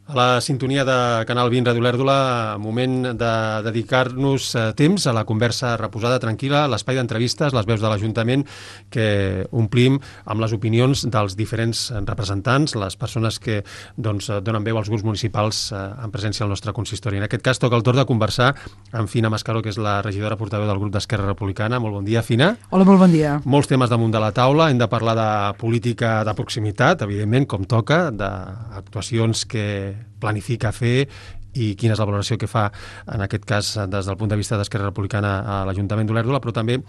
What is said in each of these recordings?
A la sintonia de Canal 20 Ràdio Olèrdola, moment de dedicar-nos temps a la conversa reposada, tranquil·la, l'espai d'entrevistes, les veus de l'Ajuntament que omplim amb les opinions dels diferents representants, les persones que donen veu als grups municipals en presència al nostre consistori. En aquest cas toca el torn de conversar amb Fina Mascaró, que és la regidora portaveu del grup d'Esquerra Republicana. Molt bon dia, Fina. Hola, molt bon dia. Molts temes damunt de la taula. Hem de parlar de política de proximitat, evidentment, com toca, d'actuacions que planifica fer i quina és la valoració que fa, en aquest cas, des del punt de vista d'Esquerra Republicana a l'Ajuntament d'Olèrdola, però també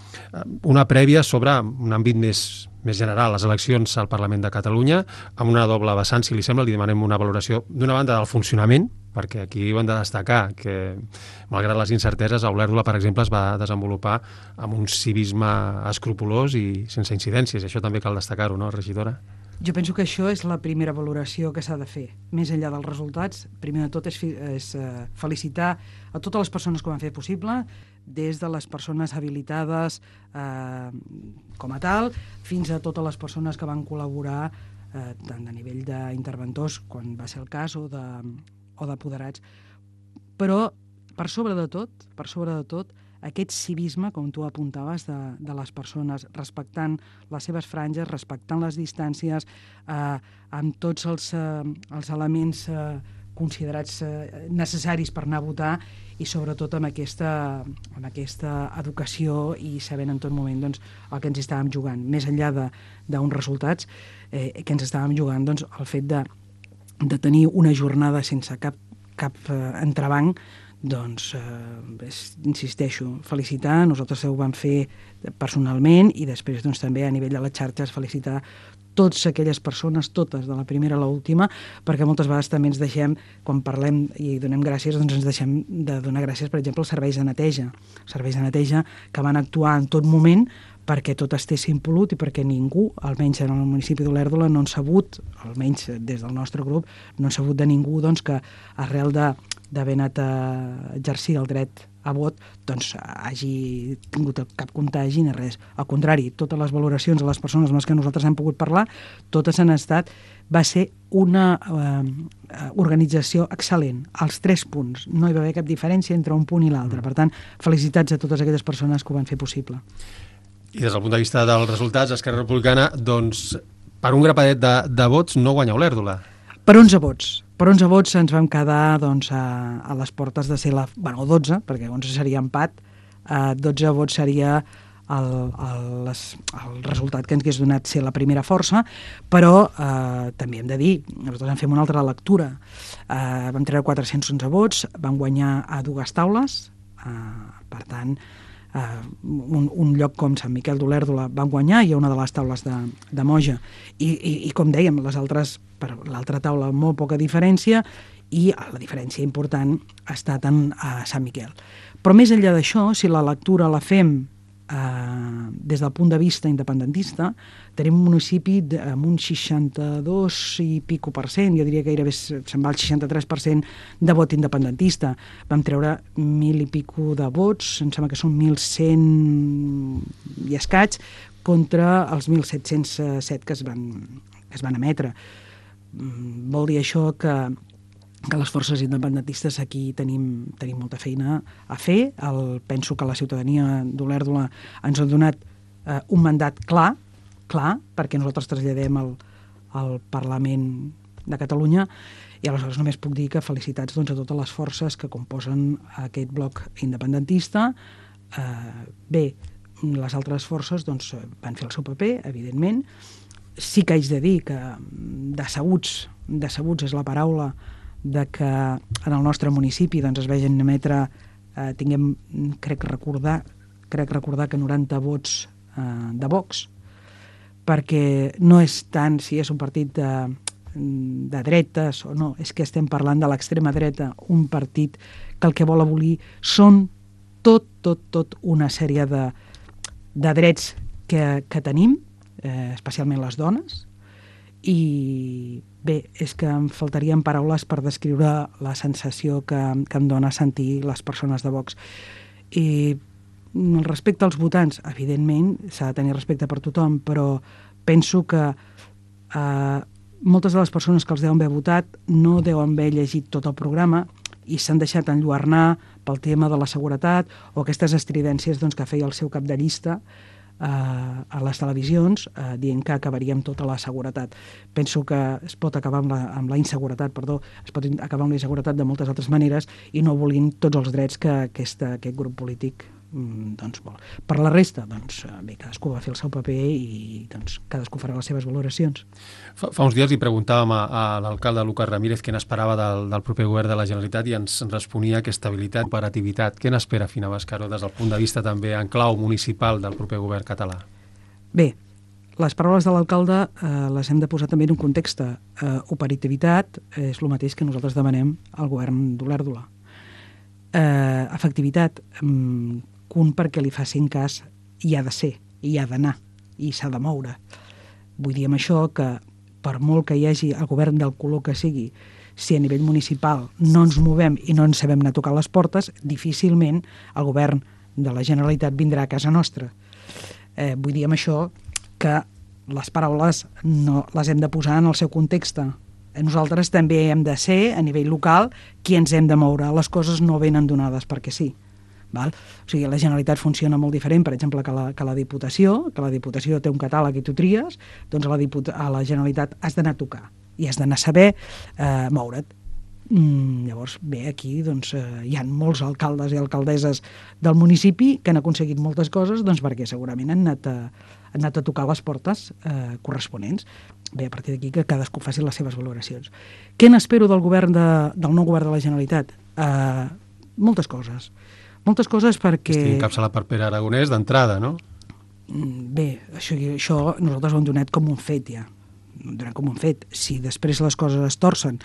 una prèvia sobre un àmbit més general, les eleccions al Parlament de Catalunya, amb una doble vessant, si li sembla. Li demanem una valoració, d'una banda, del funcionament, perquè aquí ho hem de destacar, que malgrat les incerteses, a Olèrdola, per exemple, es va desenvolupar amb un civisme escrupolós i sense incidències. Això també cal destacar-ho, no, regidora? Jo penso que això és la primera valoració que s'ha de fer. Més enllà dels resultats, primer de tot és felicitar a totes les persones que ho han fet possible, des de les persones habilitades com a tal, fins a totes les persones que van col·laborar tant a nivell d'interventors, quan va ser el cas, o d'apoderats. Però, per sobre de tot, aquest civisme, com tu apuntaves, de les persones, respectant les seves franges, respectant les distàncies, amb tots els elements considerats necessaris per anar a votar, i sobretot amb aquesta educació i sabent en tot moment el que ens estàvem jugant. Més enllà d'uns resultats, que ens estàvem jugant el fet de tenir una jornada sense cap entrebanc. Insisteixo, felicitar, nosaltres ho vam fer personalment, i després també a nivell de les xarxes felicitar totes aquelles persones, totes, de la primera a l'última, perquè moltes vegades també ens deixem, quan parlem i donem gràcies, ens deixem de donar gràcies, per exemple, als serveis de neteja que van actuar en tot moment perquè tot estés impolut i perquè ningú, almenys en el municipi d'Olèrdola, no han sabut, almenys des del nostre grup, no han sabut de ningú que arrel d'haver anat a exercir el dret a vot, hagi tingut cap contagi ni res. Al contrari, totes les valoracions de les persones amb les que nosaltres hem pogut parlar, totes han estat... Va ser una organització excel·lent, als 3 punts. No hi va haver cap diferència entre un punt i l'altre. Per tant, felicitats a totes aquelles persones que ho van fer possible. I des del punt de vista dels resultats, Esquerra Republicana, per un grapadet de vots no guanya Olèrdola. Per 11 vots. Per 11 vots ens vam quedar a les portes de ser 12, perquè 11 seria empat, 12 vots seria el resultat que ens hagués donat ser la primera força, però també hem de dir, nosaltres en fem una altra lectura. Vam treure 411 vots, vam guanyar a 2 taules, per tant, un lloc com Sant Miquel d'Olèrdola van guanyar, i una de les taules de Moja, i com dèiem, les altres, per l'altra taula molt poca diferència, i la diferència important ha estat a Sant Miquel. Però més enllà d'això, si la lectura la fem des del punt de vista independentista, tenim un municipi amb un 62 i pico %, jo diria que gairebé se'n va el 63% de vot independentista. Vam treure 1.000 i pico de vots, em sembla que són 1.100 i escaig, contra els 1.707 que es van emetre. Vol dir això que les forces independentistes aquí tenim molta feina a fer. Penso que la ciutadania d'Olèrdola ens ha donat un mandat clar, perquè nosaltres traslladem al Parlament de Catalunya, i aleshores només puc dir que felicitats a totes les forces que composen aquest bloc independentista. Bé, les altres forces van fer el seu paper, evidentment. Sí que haig de dir que decebuts és la paraula de que en el nostre municipi es vegin emetre, crec recordar que 90 vots de Vox, perquè no és tant si és un partit de dretes o no, és que estem parlant de l'extrema dreta, un partit que el que vol abolir són tot una sèrie de drets que tenim, especialment les dones, i bé, és que em faltarien paraules per descriure la sensació que em dona sentir les persones de Vox. I respecte als votants, evidentment, s'ha de tenir respecte per tothom, però penso que moltes de les persones que els deuen haver votat no deuen haver llegit tot el programa i s'han deixat enlluernar pel tema de la seguretat o aquestes estridències doncs, que feia el seu cap de llista a les televisions dient que acabaríem tota la seguretat. Penso que es pot acabar amb la inseguretat, es pot acabar amb la inseguretat de moltes altres maneres i no volint tots els drets que aquest grup polític doncs vol. Per la resta, doncs, bé, cadascú va fer el seu paper i doncs, cadascú farà les seves valoracions. Fa uns dies li preguntàvem a l'alcalde Lucas Ramírez què n'esperava del proper govern de la Generalitat i ens responia que estabilitat i operativitat. Què n'espera Fina Bàscaro des del punt de vista també en clau municipal del proper govern català? Bé, les paraules de l'alcalde les hem de posar també en un context. Operativitat és el mateix que nosaltres demanem al govern d'Olèrdola. Efectivitat, perquè li facin cas hi ha de ser, hi ha d'anar i s'ha de moure. Vull dir amb això que per molt que hi hagi el govern del color que sigui, si a nivell municipal no ens movem i no ens sabem anar a tocar les portes, difícilment el govern de la Generalitat vindrà a casa nostra. Vull dir amb això que les paraules no les hem de posar en el seu context. Nosaltres també hem de ser, a nivell local, qui ens hem de moure. Les coses no venen donades perquè sí. Val? O sigui, la Generalitat funciona molt diferent, per exemple, que la Diputació, que la Diputació té un catàleg i tu tries, doncs a la Generalitat has d'anar a tocar i has d'anar a saber moure't. Llavors, bé, aquí doncs, hi ha molts alcaldes i alcaldesses del municipi que han aconseguit moltes coses doncs, perquè segurament han anat a tocar les portes corresponents. Bé, a partir d'aquí que cadascú faci les seves valoracions. Què n'espero del nou govern de la Generalitat? Moltes coses. Moltes coses perquè... Estic encapçalat per Pere Aragonès d'entrada, no? Bé, això nosaltres ho hem donat com un fet, ja. Ho hem donat com un fet. Si després les coses es torcen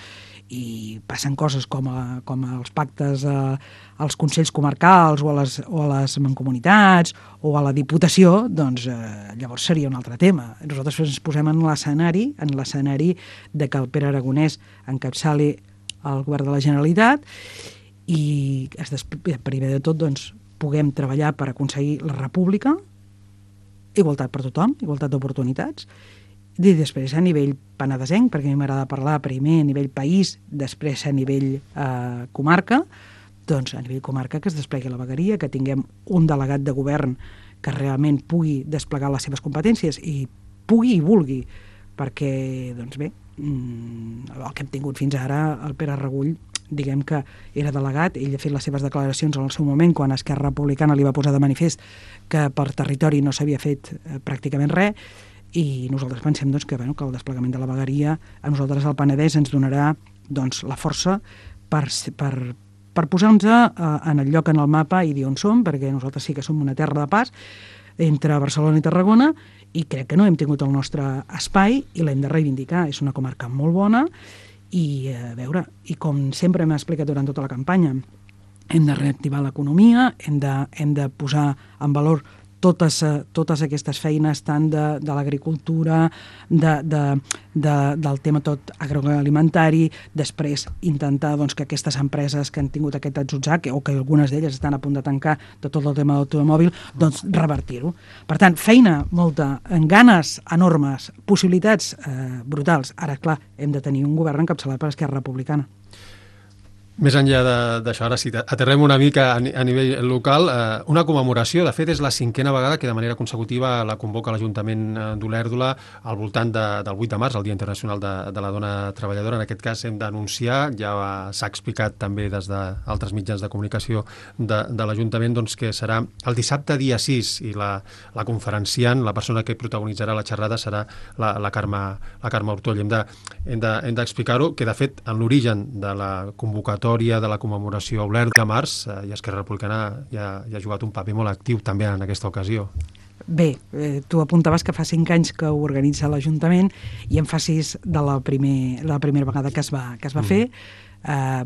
i passen coses com els pactes als consells comarcals o a les mancomunitats o a la Diputació, doncs llavors seria un altre tema. Nosaltres ens posem en l'escenari de que el Pere Aragonès encapçali el govern de la Generalitat i primer de tot doncs, puguem treballar per aconseguir la república, igualtat per tothom, igualtat d'oportunitats, i després a nivell penedesenc, perquè a mi m'agrada parlar primer a nivell país, després a nivell comarca, doncs a nivell comarca que es desplegui la vegueria, que tinguem un delegat de govern que realment pugui desplegar les seves competències i pugui i vulgui, perquè, doncs bé, el que hem tingut fins ara, el Pere Regull, diguem que era delegat, ell ha fet les seves declaracions en el seu moment quan Esquerra Republicana li va posar de manifest que per territori no s'havia fet pràcticament res i nosaltres pensem doncs, que el desplegament de la vegueria a nosaltres al Penedès ens donarà doncs, la força per posar-nos en el lloc en el mapa i dir on som, perquè nosaltres sí que som una terra de pas entre Barcelona i Tarragona i crec que no hem tingut el nostre espai i l'hem de reivindicar. És una comarca molt bona i a veure, i com sempre m'ha explicat durant tota la campanya, hem de reactivar l'economia, hem de posar en valor totes aquestes feines tant de l'agricultura, del tema tot agroalimentari, després intentar doncs, que aquestes empreses que han tingut aquest atzutzac o que algunes d'elles estan a punt de tancar de tot el tema de l'automòbil, doncs revertir-ho. Per tant, feina molta, ganes enormes, possibilitats brutals. Ara, clar, hem de tenir un govern encapçalat per Esquerra Republicana. Més enllà d'això, ara sí, aterrem una mica a nivell local. Una commemoració, de fet, és la 5a vegada que de manera consecutiva la convoca l'Ajuntament d'Olèrdola al voltant del 8 de març, el Dia Internacional de la Dona Treballadora. En aquest cas hem d'anunciar, ja s'ha explicat també des d'altres mitjans de comunicació de l'Ajuntament, doncs, que serà el dissabte dia 6 i la conferenciant, la persona que protagonitzarà la xerrada serà la Carme Ortoll. Hem d'explicar-ho, que de fet en l'origen de la convocatòria de la commemoració a Olèrdola de març i Esquerra Republicana ja ha jugat un paper molt actiu també en aquesta ocasió. Bé, tu apuntaves que fa 5 anys que ho organitza l'Ajuntament i en fa 6 de la primera vegada que es va fer.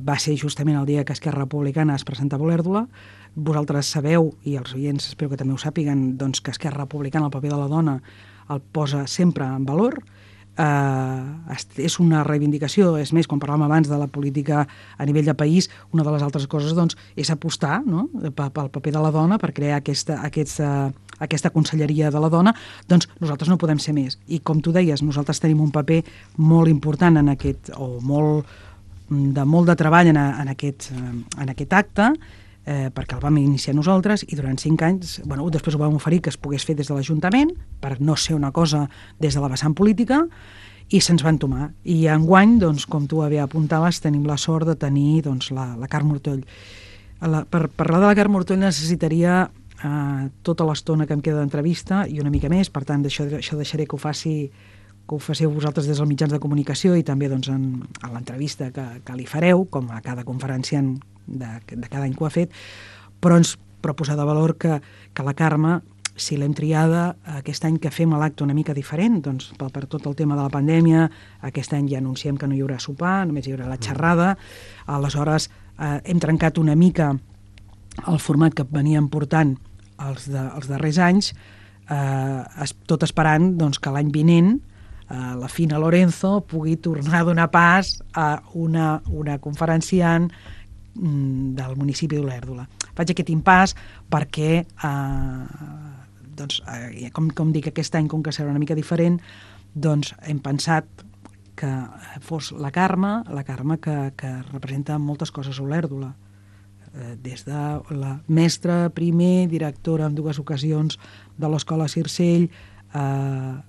Va ser justament el dia que Esquerra Republicana es presentava a Olèrdola. Vosaltres sabeu, i els oients espero que també ho sàpiguen, doncs que Esquerra Republicana, el paper de la dona, el posa sempre en valor. és una reivindicació. És més, quan parlàvem abans de la política a nivell de país, una de les altres coses doncs, és apostar, no?, pel paper de la dona, per crear aquesta conselleria de la dona. Doncs nosaltres no podem ser més. I com tu deies, nosaltres tenim un paper molt important en aquest, o molt de treball en aquest acte, perquè el vam iniciar nosaltres, i durant 5 anys, després ho vam oferir que es pogués fer des de l'Ajuntament, per no ser una cosa des de la vessant política, i se'ns va entomar. I enguany, doncs, com tu bé apuntaves, tenim la sort de tenir doncs, la Carme Ortoll. Per parlar de la Carme Ortoll necessitaria tota l'estona que em queda d'entrevista i una mica més, per tant, això deixaré que ho faciu vosaltres des dels mitjans de comunicació i també doncs, en l'entrevista que li fareu, com a cada conferenciant de cada any que ho ha fet, però posar de valor que la Carme, si l'hem triada aquest any que fem l'acte una mica diferent, doncs per tot el tema de la pandèmia, aquest any ja anunciem que no hi haurà sopar, només hi haurà la xerrada, aleshores hem trencat una mica el format que veníem portant els darrers anys, tot esperant doncs, que l'any vinent la Fina Lorenzo pugui tornar a donar pas a una conferenciant del municipi d'Olèrdola. Faig aquest impàs perquè, com dic, aquest any, com que serà una mica diferent, doncs hem pensat que fos la Carme que representa moltes coses a Olèrdola, des de la mestra, primer, directora en 2 ocasions de l'Escola Circell,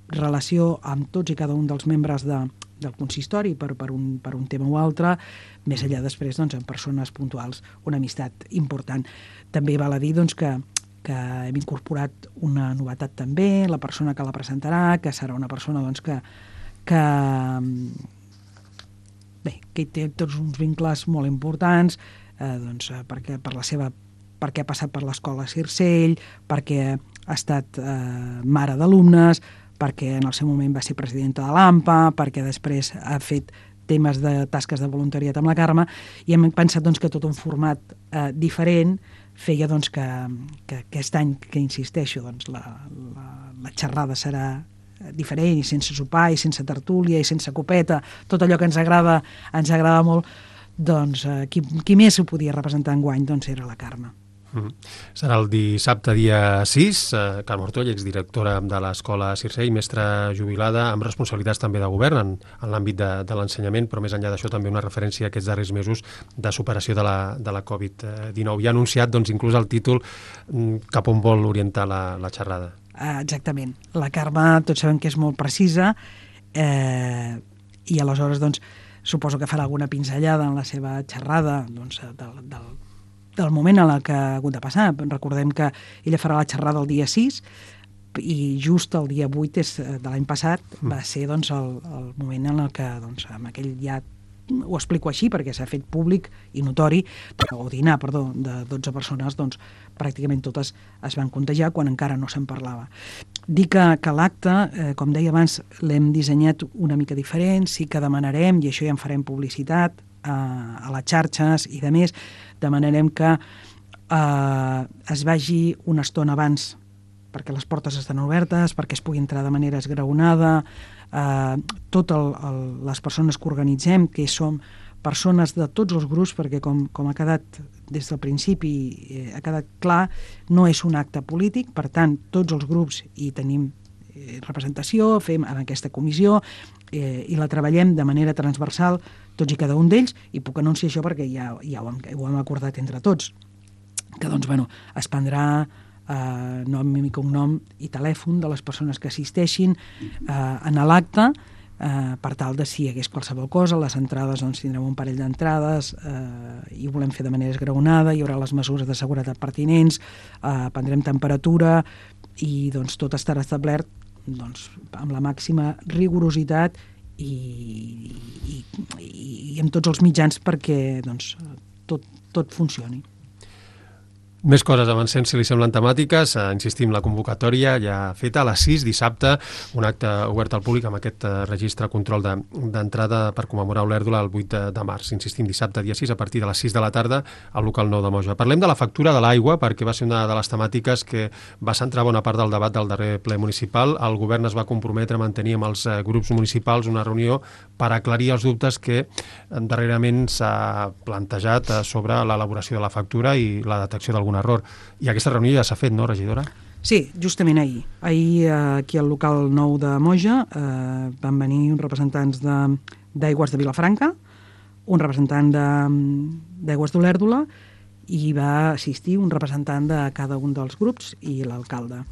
relació amb tots i cada un dels membres del consistori per un tema o altre, més enllà després doncs, amb persones puntuals, una amistat important. També val a dir doncs, que hem incorporat una novetat també, la persona que la presentarà, que serà una persona doncs, que té tots uns vincles molt importants, perquè ha passat per l'Escola Circell, perquè ha estat mare d'alumnes, perquè en el seu moment va ser presidenta de l'AMPA, perquè després ha fet temes de tasques de voluntariat amb la Carme, i hem pensat doncs, que tot un format diferent feia doncs, que aquest any, que insisteixo, doncs, la xerrada serà diferent, i sense sopar, i sense tertúlia, i sense copeta, tot allò que ens agrada molt, doncs qui més ho podia representar enguany doncs era la Carme. Serà el dissabte dia 6, Carme Ortoll, exdirectora de l'Escola Circell, mestra jubilada, amb responsabilitats també de govern en l'àmbit de l'ensenyament, però més enllà d'això també una referència a aquests darrers mesos de superació de la Covid-19. I ha anunciat doncs, inclús el títol cap on vol orientar la xerrada. Exactament. La Carme tots sabem que és molt precisa i aleshores doncs, suposo que farà alguna pinzellada en la seva xerrada doncs, del moment en què ha hagut de passar. Recordem que ella farà la xerrada el dia 6 i just el dia 8 de l'any passat va ser doncs, el moment en què doncs, amb aquell ja ho explico així perquè s'ha fet públic i notori, o dinar, perdó, de 12 persones, doncs pràcticament totes es van contagiar quan encara no se'n parlava. Dir que l'acte, com deia abans, l'hem dissenyat una mica diferent, sí que demanarem, i això ja en farem publicitat a les xarxes i de més, demanarem que es vagi una estona abans perquè les portes estan obertes, perquè es pugui entrar de manera esgraonada, totes les persones que organitzem, que som persones de tots els grups, perquè com ha quedat des del principi, ha quedat clar, no és un acte polític, per tant, tots els grups hi tenim representació, fem en aquesta comissió i la treballem de manera transversal tots i cada un d'ells, i puc anunciar això perquè ja ho hem acordat entre tots, que doncs, es prendrà nom i cognom i telèfon de les persones que assisteixin en l'acte, per tal de si hi hagués qualsevol cosa. Les entrades, doncs tindrem un parell d'entrades i ho volem fer de manera esgraonada, hi haurà les mesures de seguretat pertinents, prendrem temperatura i doncs tot estarà establert doncs, amb la màxima rigorositat i amb tots els mitjans perquè doncs, tot funcioni. Més coses, avancem, si li semblen temàtiques. Insistim, la convocatòria ja feta a les 6, dissabte, un acte obert al públic amb aquest registre control d'entrada per commemorar Olèrdola el 8 de març. Insistim, dissabte, dia 6, a partir de les 6 de la tarda, al local 9 de Moja. Parlem de la factura de l'aigua, perquè va ser una de les temàtiques que va centrar bona part del debat del darrer ple municipal. El govern es va comprometre a mantenir amb els grups municipals una reunió per aclarir els dubtes que darrerament s'ha plantejat sobre l'elaboració de la factura i la detecció d'algun error. I aquesta reunió ja s'ha fet, no, regidora? Sí, justament ahir. Ahir, aquí al local 9 de Moja, van venir uns representants d'Aigües de Vilafranca, un representant d'Aigües d'Olèrdola, i va assistir un representant de cada un dels grups i l'alcalde.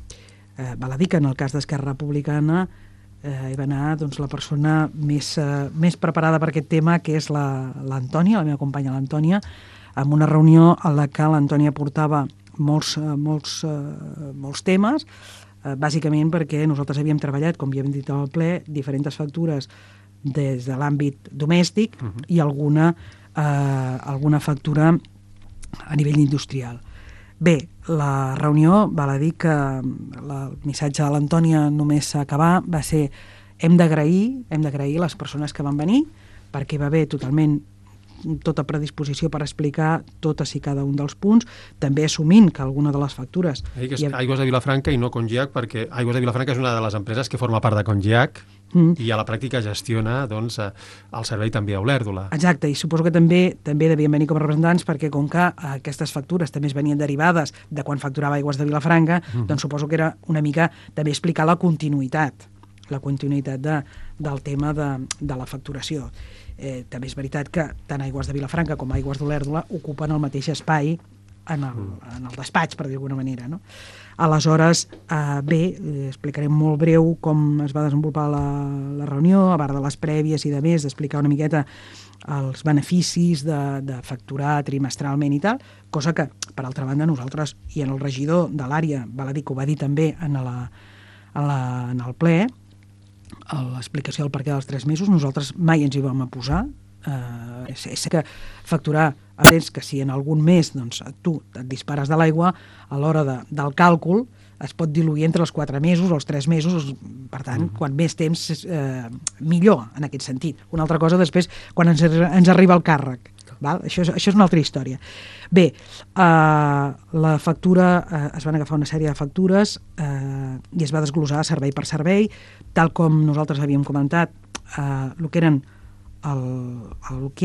Val a dir que en el cas d'Esquerra Republicana hi va anar doncs, la persona més preparada per aquest tema, que és l'Antònia, la meva companya l'Antònia, amb una reunió en la que l'Antònia portava molts temes, bàsicament perquè nosaltres havíem treballat, com ja hem dit al ple, diferents factures des de l'àmbit domèstic i alguna factura a nivell industrial. Bé, la reunió, val a dir que el missatge de l'Antònia només a acabar va ser hem d'agrair les persones que van venir, perquè va haver totalment tota predisposició per explicar totes i cada un dels punts, també assumint que alguna de les factures... Aigües de Vilafranca i no Congiac, perquè Aigües de Vilafranca és una de les empreses que forma part de Congiac i a la pràctica gestiona doncs, el servei també a Olèrdola. Exacte, i suposo que també devien venir com a representants, perquè com que aquestes factures també es venien derivades de quan facturava Aigües de Vilafranca, doncs suposo que era una mica també explicar la continuïtat del tema de la facturació. També és veritat que tant Aigües de Vilafranca com Aigües d'Olèrdola ocupen el mateix espai en el despatx, per dir d'alguna manera, no? Aleshores, bé, explicarem molt breu com es va desenvolupar la reunió, a part de les prèvies i de més, d'explicar una miqueta els beneficis de facturar trimestralment i tal, cosa que, per altra banda, nosaltres i en el regidor de l'àrea, val a dir que ho va dir també en el ple, a l'explicació del perquè dels 3 mesos, nosaltres mai ens hi vam posar. És que facturar, entens que si en algun mes doncs, tu et dispares de l'aigua, a l'hora del càlcul es pot diluir entre els 4 mesos o els 3 mesos, per tant, quan més temps millor, en aquest sentit. Una altra cosa després, quan ens arriba el càrrec. Val? Això és una altra història. Bé, la factura, es van agafar una sèrie de factures i es va desglossar servei per servei, tal com nosaltres havíem comentat, el que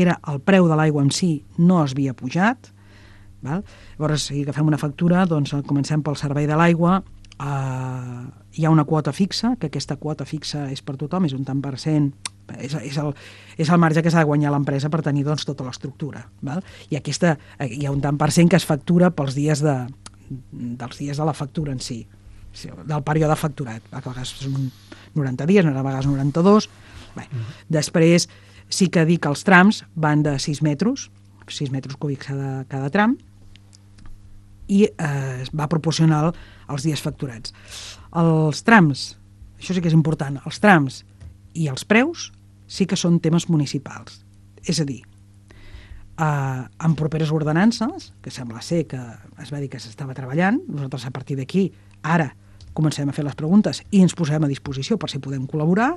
era el preu de l'aigua en si no es havia pujat. Val? Llavors, si agafem una factura, doncs comencem pel servei de l'aigua, hi ha una quota fixa, que aquesta quota fixa és per tothom, és un tant per cent, és el marge que s'ha de guanyar l'empresa per tenir doncs, tota l'estructura. Val? I hi ha un tant per cent que es factura pels dies dels dies de la factura en si, del període facturat. A vegades són 90 dies, a vegades 92. Bé, després sí que dic que els trams van de 6 metres cúbics cada tram, i va proporcional als dies facturats. Els trams, això sí que és important, els trams i els preus sí que són temes municipals. És a dir, en properes ordenances, que sembla ser que es va dir que s'estava treballant, nosaltres a partir d'aquí ara comencem a fer les preguntes i ens posem a disposició per si podem col·laborar,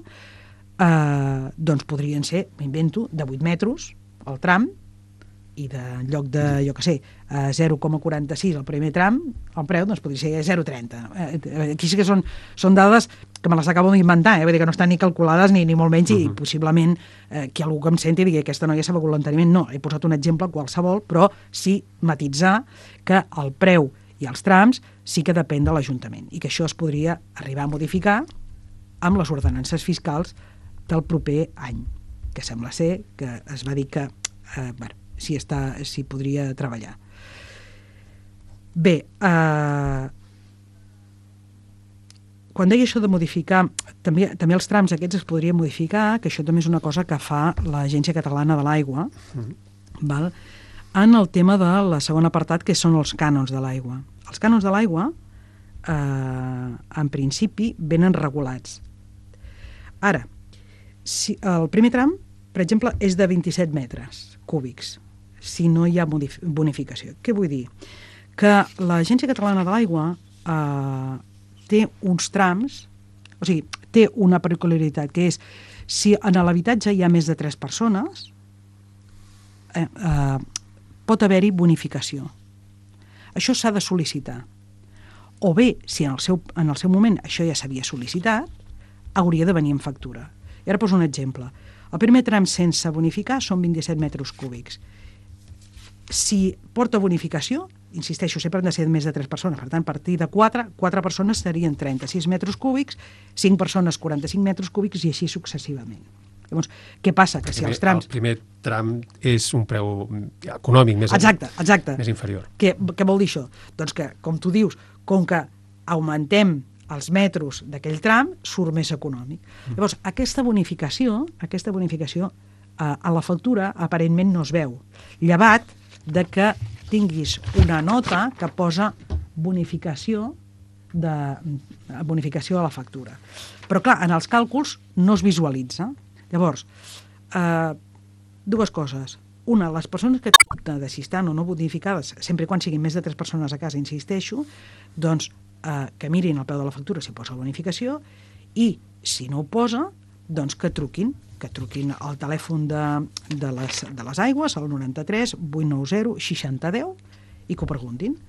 doncs podrien ser, m'invento, de 8 metres el tram, i en lloc de, jo què sé, 0,46 el primer tram, el preu doncs podria ser 0,30. Aquí sí que són dades que me les acabo d'inventar, vull dir que no estan ni calculades ni molt menys, i possiblement que algú que em senti digui que aquesta noia s'ha begut voluntàriament. No, he posat un exemple qualsevol, però sí matitzar que el preu i els trams sí que depèn de l'Ajuntament i que això es podria arribar a modificar amb les ordenances fiscals del proper any, que sembla ser que es va dir que si podria treballar. Bé, quan deia això de modificar, també els trams aquests es podrien modificar, que això també és una cosa que fa l'Agència Catalana de l'Aigua, val? En el tema de la segona apartat, que són els cànons de l'aigua. Els cànons de l'aigua, en principi, venen regulats. Ara, si el primer tram, per exemple, és de 27 metres cúbics, si no hi ha bonificació. Què vull dir? que l'Agència Catalana de l'Aigua té uns trams, o sigui, té una peculiaritat, que és si en l'habitatge hi ha més de 3 persones, pot haver-hi bonificació. Això s'ha de sol·licitar. O bé, si en el seu moment això ja s'havia sol·licitat, hauria de venir en factura. I ara poso un exemple. El primer tram sense bonificar són 27 metres cúbics. Si porta bonificació, insisteixo, sempre han de ser més de 3 persones, per tant, a partir de 4 persones serien 36 metres cúbics, 5 persones 45 metres cúbics i així successivament. Llavors, què passa? Que si els trams... El primer tram és un preu econòmic més, més inferior. Què vol dir això? Doncs que, com tu dius, com que augmentem els metros d'aquell tram, surt més econòmic. Llavors, aquesta bonificació a la factura aparentment no es veu, llevat de que tinguis una nota que posa bonificació a la factura. Però, clar, en els càlculs no es visualitza. Llavors, dues coses. Una, les persones que de si estan o no bonificades, sempre quan siguin més de 3 persones a casa, insisteixo, doncs que mirin al peu de la factura si posa la bonificació i, si no ho posa, doncs que truquin al telèfon de les aigües, al 93 890 6010, i que ho preguntin.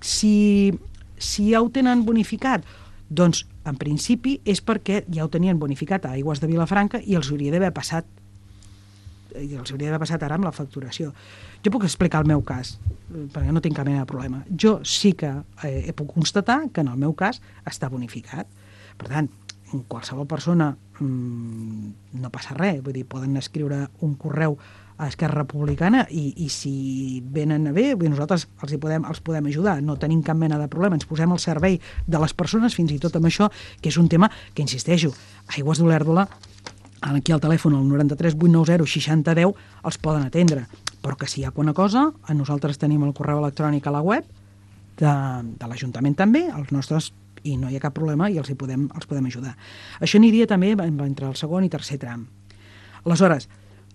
Si ja ho tenen bonificat, doncs, en principi, és perquè ja ho tenien bonificat a Aigües de Vilafranca i els hauria d'haver passat ara amb la facturació. Jo puc explicar el meu cas, perquè no tinc cap mena de problema. Jo sí que puc constatar que en el meu cas està bonificat. Per tant, qualsevol persona no passa res, vull dir, poden escriure un correu a Esquerra Republicana i si venen bé, nosaltres els podem ajudar, no tenim cap mena de problema, ens posem al servei de les persones, fins i tot amb això, que és un tema que, insisteixo, Aigües d'Olèrdola, aquí al telèfon, al 93 890 6010, els poden atendre, però que si hi ha alguna cosa, nosaltres tenim el correu electrònic a la web de l'Ajuntament també, els nostres, i no hi ha cap problema i els podem ajudar. Això aniria també entre el segon i tercer tram. Aleshores,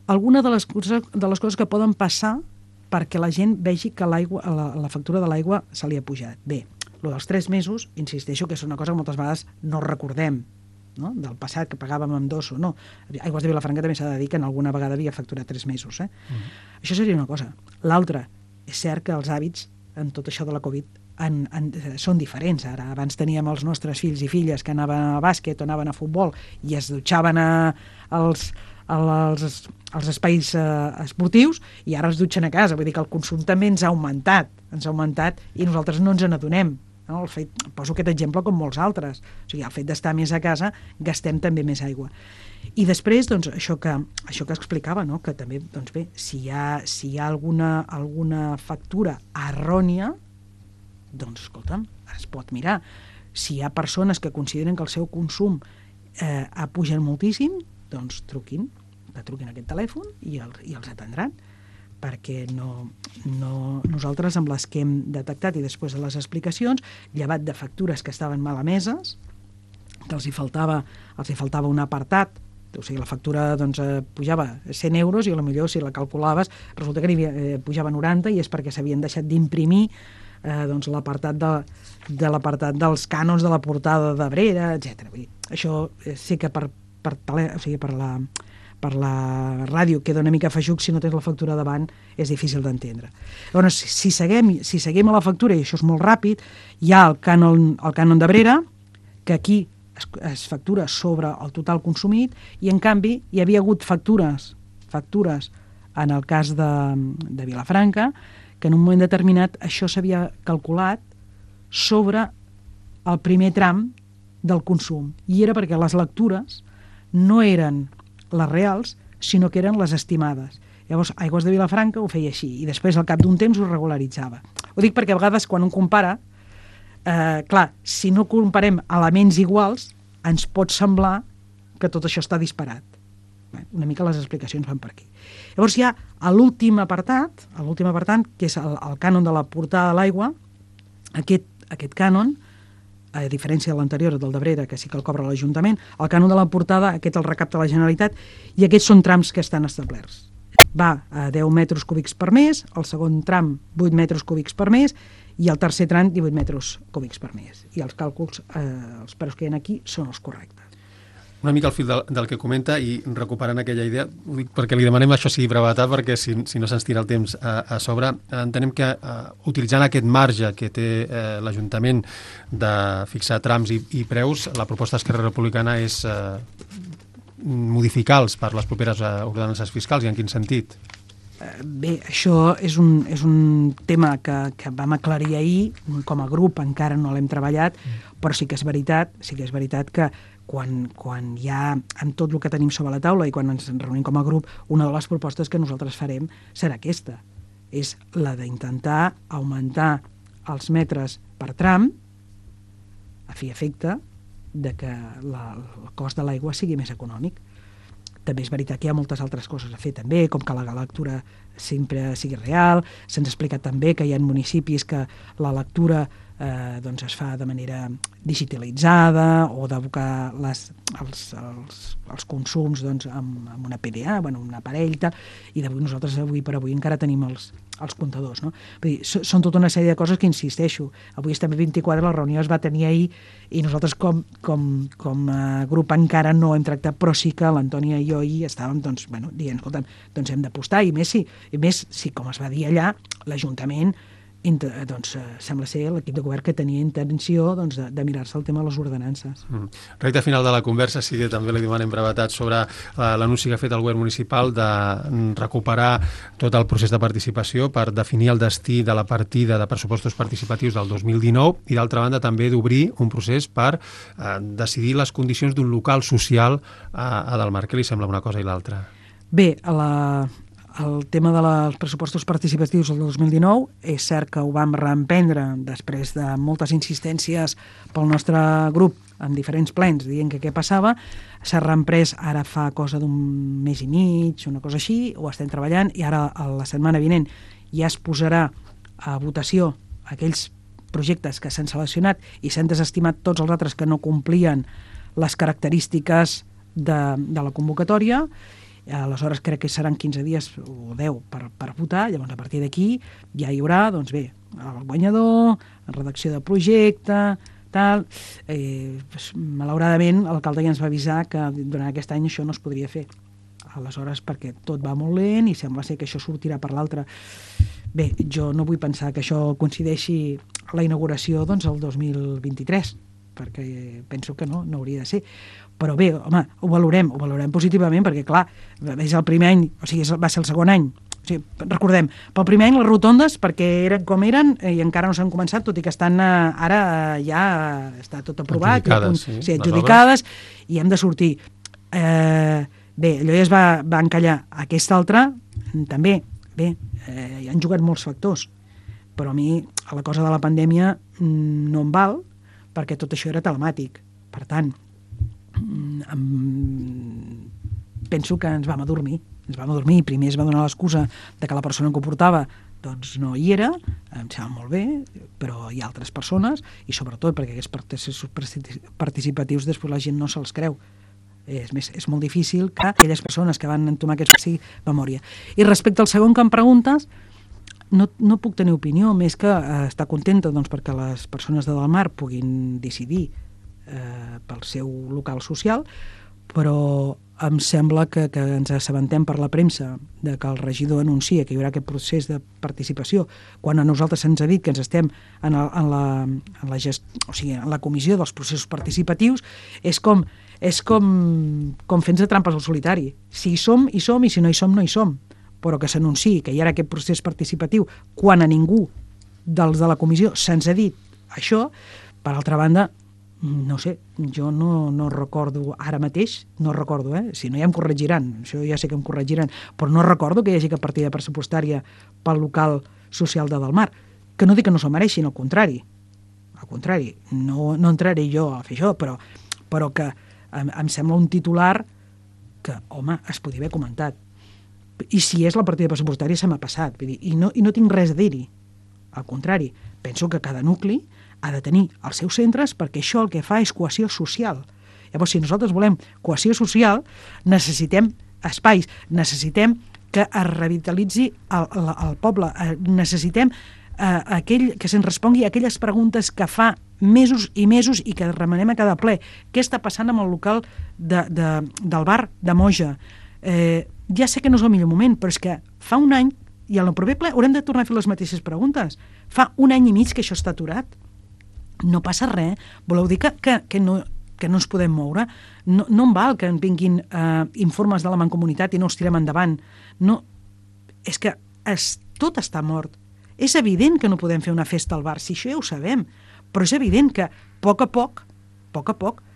alguna de les coses que poden passar perquè la gent vegi que la factura de l'aigua se li ha pujat. Bé, el dels 3 mesos, insisteixo que és una cosa que moltes vegades no recordem, no? Del passat, que pagàvem amb 2 o no. Aigües de Vilafranca també s'ha de dir que en alguna vegada havia facturat 3 mesos. Això seria una cosa. L'altra, és cert que els hàbits en tot això de la Covid són diferents. Ara, abans teníem els nostres fills i filles que anaven a bàsquet o anaven a futbol i es dutxaven als espais esportius i ara es dutxen a casa. Vull dir que el consum també ens ha augmentat i nosaltres no ens n'adonem. No? Poso aquest exemple com molts altres. O sigui, el fet d'estar més a casa gastem també més aigua. I després, doncs, això que explicava, no? Que també, doncs bé, si hi ha alguna factura errònia, doncs, escolta'm, es pot mirar. Si hi ha persones que consideren que el seu consum ha pujat moltíssim, doncs truquin a aquest telèfon i els atendran, perquè nosaltres amb les que hem detectat i després de les explicacions, llevat de factures que estaven mal emeses, que els hi faltava un apartat, o sigui, la factura doncs, pujava 100 euros i potser si la calculaves resulta que pujava 90 i és perquè s'havien deixat d'imprimir doncs, l'apartat dels cànons de la portada d'Abrera, etc. Això sí que per la ràdio queda una mica feixuc, si no tens la factura davant és difícil d'entendre. Llavors, si seguim a la factura, i això és molt ràpid, hi ha el cànon d'Abrera, que aquí es factura sobre el total consumit, i en canvi hi havia hagut factures en el cas de Vilafranca, que en un moment determinat això s'havia calculat sobre el primer tram del consum, i era perquè les lectures no eren les reals, sinó que eren les estimades. Llavors, Aigües de Vilafranca ho feia així, i després, al cap d'un temps, ho regularitzava. Ho dic perquè a vegades, quan un compara, clar, si no comparem elements iguals, ens pot semblar que tot això està disparat. Una mica les explicacions van per aquí. Llavors hi ha l'últim apartat, que és el cànon de la portada de l'aigua. Aquest cànon, a diferència de l'anterior, del d'Abrera, que sí que el cobra l'Ajuntament, el cànon de la portada, aquest el recapta la Generalitat, i aquests són trams que estan establerts. va a 10 metres cúbics per mes, el segon tram 8 metres cúbics per mes i el tercer tram 18 metres cúbics per mes. I els càlculs, els preus que hi ha aquí són els correctes. Una mica al fil del que comenta i recuperant aquella idea, ho dic perquè li demanem això sigui brevetat, perquè si no se'ns tira el temps a sobre, entenem que utilitzant aquest marge que té l'Ajuntament de fixar trams i preus, la proposta d'Esquerra Republicana és modificar-los per les properes ordenances fiscals, i en quin sentit? Bé, això és un tema que vam aclarir ahir, com a grup encara no l'hem treballat, però sí que és veritat que quan hi ha amb tot el que tenim sobre la taula i quan ens reunim com a grup, una de les propostes que nosaltres farem serà aquesta, és la d'intentar augmentar els metres per tram a fi i efecte de que el cost de l'aigua sigui més econòmic. També és veritat que hi ha moltes altres coses a fer també, com que la lectura sempre sigui real. Se'ns ha explicat també que hi ha municipis que la lectura es fa de manera digitalitzada o d'abocar els consums amb una PDA, un aparell, i nosaltres avui per avui encara tenim els comptadors. No? Vull dir, són tota una sèrie de coses que, insisteixo, avui estem a 24, la reunió es va tenir ahir i nosaltres com a grup encara no hem tractat, però sí que l'Antònia i jo ahir estàvem dient, escolta'm, hem d'apostar, i més si, com es va dir allà, l'Ajuntament sembla ser l'equip de govern que tenia intenció de mirar-se el tema de les ordenances. Recte final de la conversa, sí que també li demanem brevetat sobre l'anunci que ha fet el govern municipal de recuperar tot el procés de participació per definir el destí de la partida de pressupostos participatius del 2019 i, d'altra banda, també d'obrir un procés per decidir les condicions d'un local social a Delmar. Què li sembla una cosa i l'altra? Bé, el tema dels pressupostos participatius del 2019 és cert que ho vam reemprendre després de moltes insistències pel nostre grup en diferents plens dient que què passava. S'ha reemprès ara fa cosa d'un mes i mig, una cosa així, ho estem treballant, i ara la setmana vinent ja es posarà a votació aquells projectes que s'han seleccionat i s'han desestimat tots els altres que no complien les característiques de la convocatòria. Aleshores crec que seran 15 dies o 10 per votar. Llavors a partir d'aquí ja hi haurà el guanyador, redacció de projecte, tal. Malauradament l'alcalde ja ens va avisar que durant aquest any això no es podria fer. Aleshores, perquè tot va molt lent i sembla ser que això sortirà per l'altre. Bé, jo no vull pensar que això coincideixi a la inauguració el 2023, perquè penso que no hauria de ser. Però bé, home, ho valorem positivament, perquè clar, és el primer any, o sigui, va ser el segon any. O sigui, recordem, pel primer any les rotondes, perquè eren com eren i encara no s'han començat, tot i que estan ara ja està tot aprovat, adjudicades, i hem de sortir. Bé, allò ja es va encallar. Aquesta altra, també, bé, hi han jugat molts factors, però a mi a la cosa de la pandèmia no em val, perquè tot això era telemàtic. Per tant, penso que ens vam adormir. Primer es va donar l'excusa de que la persona que ho portava no hi era, em sembla molt bé, però hi ha altres persones, i sobretot perquè aquests processos participatius després la gent no se'ls creu. És molt difícil que aquelles persones que van entomar aquests sigui memòria. I respecte al segon que em preguntes, no puc tenir opinió, més que estar contenta perquè les persones de Delmar puguin decidir pel seu local social, però em sembla que ens assabentem per la premsa de que el regidor anuncia que hi haurà aquest procés de participació, quan a nosaltres se'ns ha dit que ens estem en la comissió dels processos participatius. És com fent-se trampes al solitari. Si hi som, hi som, i si no hi som, no hi som. Però que s'anunciï que hi ha aquest procés participatiu quan a ningú dels de la comissió se'ns ha dit això, per altra banda, no sé, jo no recordo ara mateix, si no ja em corregiran, això ja sé que em corregiran, però no recordo que hi hagi cap partida pressupostària pel local social de Delmar, que no dic que no se'l mereixin, al contrari, no entraré jo a fer això, però que em sembla un titular que, home, es podia haver comentat. I si és la partida pressupostària se m'ha passat, vull dir, i no tinc res a dir-hi, al contrari, penso que cada nucli ha de tenir els seus centres, perquè això el que fa és cohesió social. Llavors, si nosaltres volem cohesió social, necessitem espais, necessitem que es revitalitzi el poble. Necessitem aquell que se'ns respongui a aquelles preguntes que fa mesos i mesos i que remenem a cada ple. Què està passant amb el local del bar de Moja? Ja sé que no és el millor moment, però és que fa un any, i al proper ple haurem de tornar a fer les mateixes preguntes. Fa un any i mig que això està aturat. No passa res. Voleu dir que no ens podem moure? No em val que en vinguin informes de la Mancomunitat i no els tirem endavant. No, és que tot està mort. És evident que no podem fer una festa al bar, si això ja ho sabem, però és evident que a poc a poc,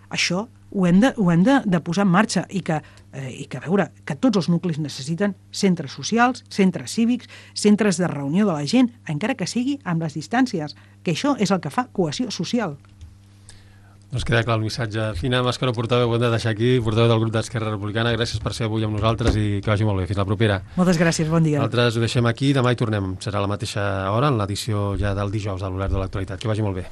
això ho hem de posar en marxa i que a veure, que tots els nuclis necessiten centres socials, centres cívics, centres de reunió de la gent, encara que sigui amb les distàncies, que això és el que fa cohesió social. Doncs queda clar el missatge. Fina Mascaró, portaveu, ho hem de deixar aquí, portaveu del grup d'Esquerra Republicana. Gràcies per ser avui amb nosaltres i que vagi molt bé. Fins la propera. Moltes gràcies, bon dia. Nosaltres ho deixem aquí, demà hi tornem. Serà a la mateixa hora, en l'edició ja del dijous de l'Obert de l'Actualitat. Que vagi molt bé.